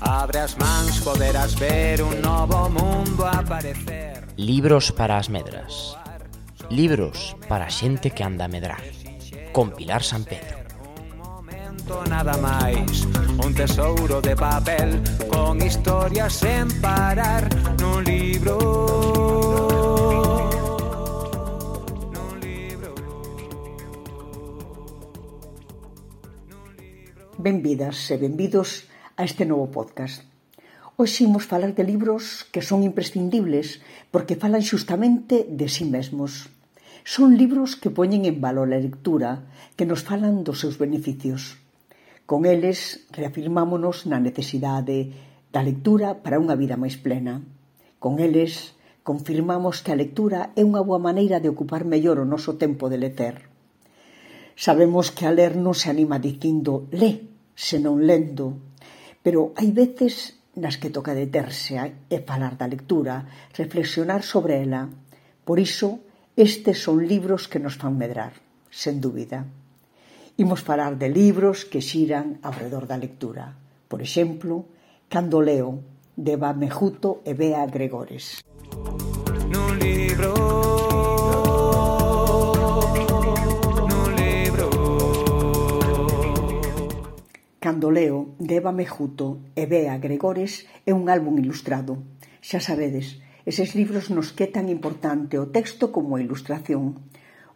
Abre as mans, poderás ver un novo mundo aparecer. Libros para as medras. Libros para a xente que anda a medrar. Con Pilar San Pedro. Un momento nada máis, un tesouro de papel con historias sen parar nun libro. Benvidas e benvidos a este novo podcast. Hoxe imos falar de libros que son imprescindibles porque falan xustamente de si mesmos. Son libros que poñen en valor a lectura, que nos falan dos seus beneficios. Con eles reafirmámonos na necesidade da lectura para unha vida máis plena. Con eles confirmamos que a lectura é unha boa maneira de ocupar mellor o noso tempo de lecer. Sabemos que a ler non se anima dicindo "lé", senón lendo, pero hai veces nas que toca deterse e falar da lectura, reflexionar sobre ela. Por iso, estes son libros que nos fan medrar, sen dúbida. Imos falar de libros que xiran ao redor da lectura. Por exemplo, Cando leo, de Eva Mejuto e Bea Gregores. Nun libro. Cando leo, de Eva Mejuto e Bea Gregores, é un álbum ilustrado. Xa sabedes, eses libros nos que é tan importante o texto como a ilustración.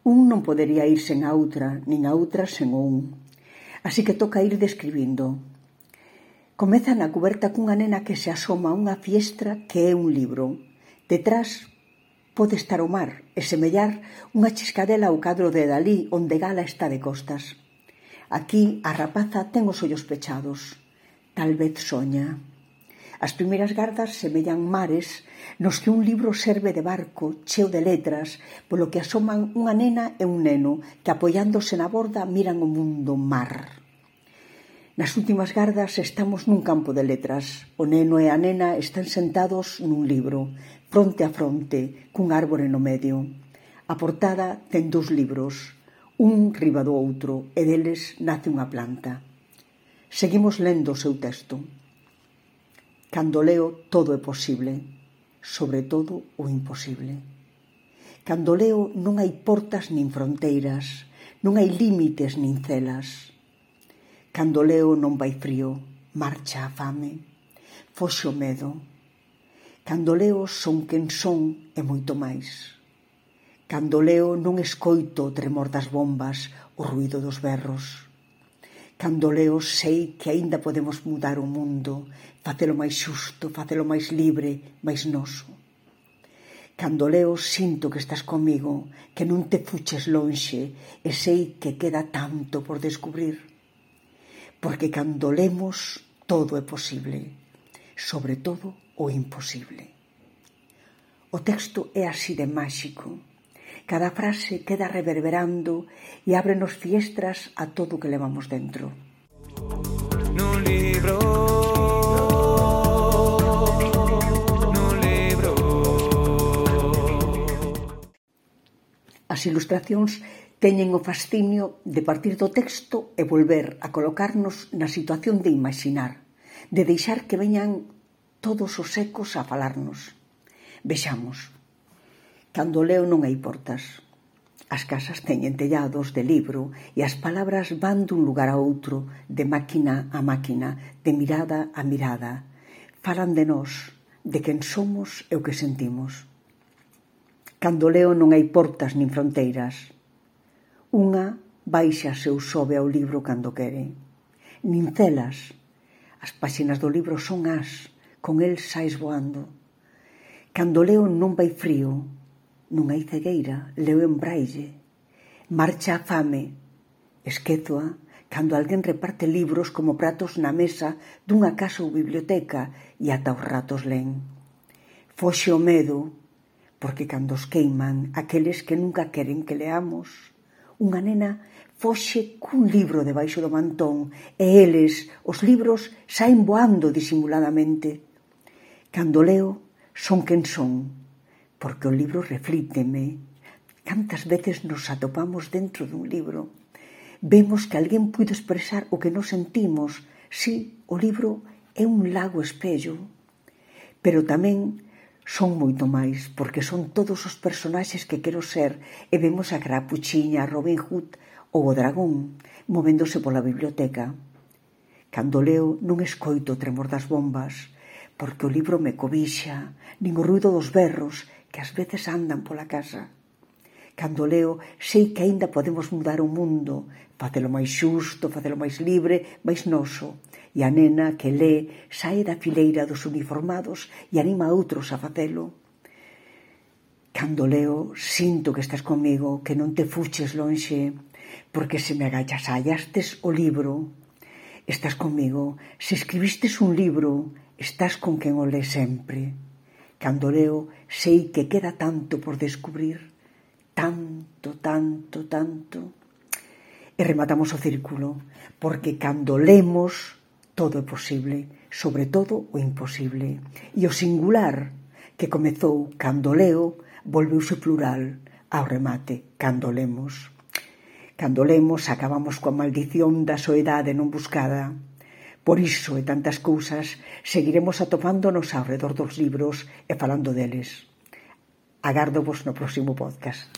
Un non podería ir sen a outra, nin a outra sen o un. Así que toca ir describindo. Comeza na cuberta cunha nena que se asoma a unha fiestra que é un libro. Detrás pode estar o mar e semellar unha chiscadela ao cadro de Dalí onde Gala está de costas. Aquí a rapaza ten os ollos pechados. Tal vez soña. As primeiras gardas semellan mares nos que un libro serve de barco cheo de letras polo que asoman unha nena e un neno que apoiándose na borda miran o mundo mar. Nas últimas gardas estamos nun campo de letras. O neno e a nena están sentados nun libro, fronte a fronte, cun árbore no medio. A portada ten dous libros, un riba do outro, e deles nace unha planta. Seguimos lendo o seu texto. Cando leo, todo é posible, sobre todo o imposible. Cando leo, non hai portas nin fronteiras, non hai límites nin celas. Cando leo non vai frío, marcha a fame, foxe o medo. Cando leo son quen son e moito máis. Cando leo non escoito o tremor das bombas, o ruído dos berros. Cando leo sei que aínda podemos mudar o mundo, facelo máis xusto, facelo máis libre, máis noso. Cando leo sinto que estás comigo, que non te fuches lonxe e sei que queda tanto por descubrir. Porque cando lemos todo é posible, sobre todo o imposible. O texto é así de máxico. Cada frase queda reverberando e ábrenos fiestras a todo o que levamos dentro. Nun libro. Nun libro. As ilustracións teñen o fascinio de partir do texto e volver a colocarnos na situación de imaxinar, de deixar que veñan todos os ecos a falarnos. Vexamos. Cando leo non hai portas. As casas teñen tellados de libro e as palabras van dun lugar a outro, de máquina a máquina, de mirada a mirada. Falan de nós, de quen somos e o que sentimos. Cando leo non hai portas nin fronteiras. Unha baixa-se ou sobe ao libro cando quere. Nin celas. As páxinas do libro son as, con el sais voando. Cando leo non vai frío. Non hai cegueira, leo en braille. Marcha a fame. Esquézoa cando alguén reparte libros como pratos na mesa dunha casa ou biblioteca e ata os ratos len. Foxe o medo, porque cando os queiman aqueles que nunca queren que leamos, unha nena foxe cun libro debaixo do mantón e eles, os libros, saen voando disimuladamente. Cando leo, son quen son, porque o libro reflíteme. Cantas veces nos atopamos dentro dun libro? Vemos que alguén puido expresar o que nos sentimos. Si, o libro é un lago espello, pero tamén son moito máis, porque son todos os personaxes que quero ser, e vemos a Carapuchiña, a Robin Hood ou o dragón movéndose pola biblioteca. Cando leo non escoito o tremor das bombas, porque o libro me cobixa, nin o ruido dos berros que ás veces andan pola casa. Cando leo, sei que aínda podemos mudar o mundo, facelo máis xusto, facelo máis libre, máis noso. E a nena que lé sae da fileira dos uniformados e anima a outros a facelo. Cando leo, sinto que estás comigo, que non te fuches lonxe, porque se me agachasallastes o libro. Estás comigo, se escribistes un libro, estás con quen o lé sempre. Cando leo, sei que queda tanto por descubrir, tanto, tanto, tanto. E rematamos o círculo, porque cando lemos, todo é posible, sobre todo o imposible. E o singular, que comezou cando leo, volveuse plural ao remate, cando lemos. Cando lemos, acabamos coa maldición da soedade non buscada. Por iso e tantas cousas, seguiremos atopándonos ao redor dos libros e falando deles. Agárdovos no próximo podcast.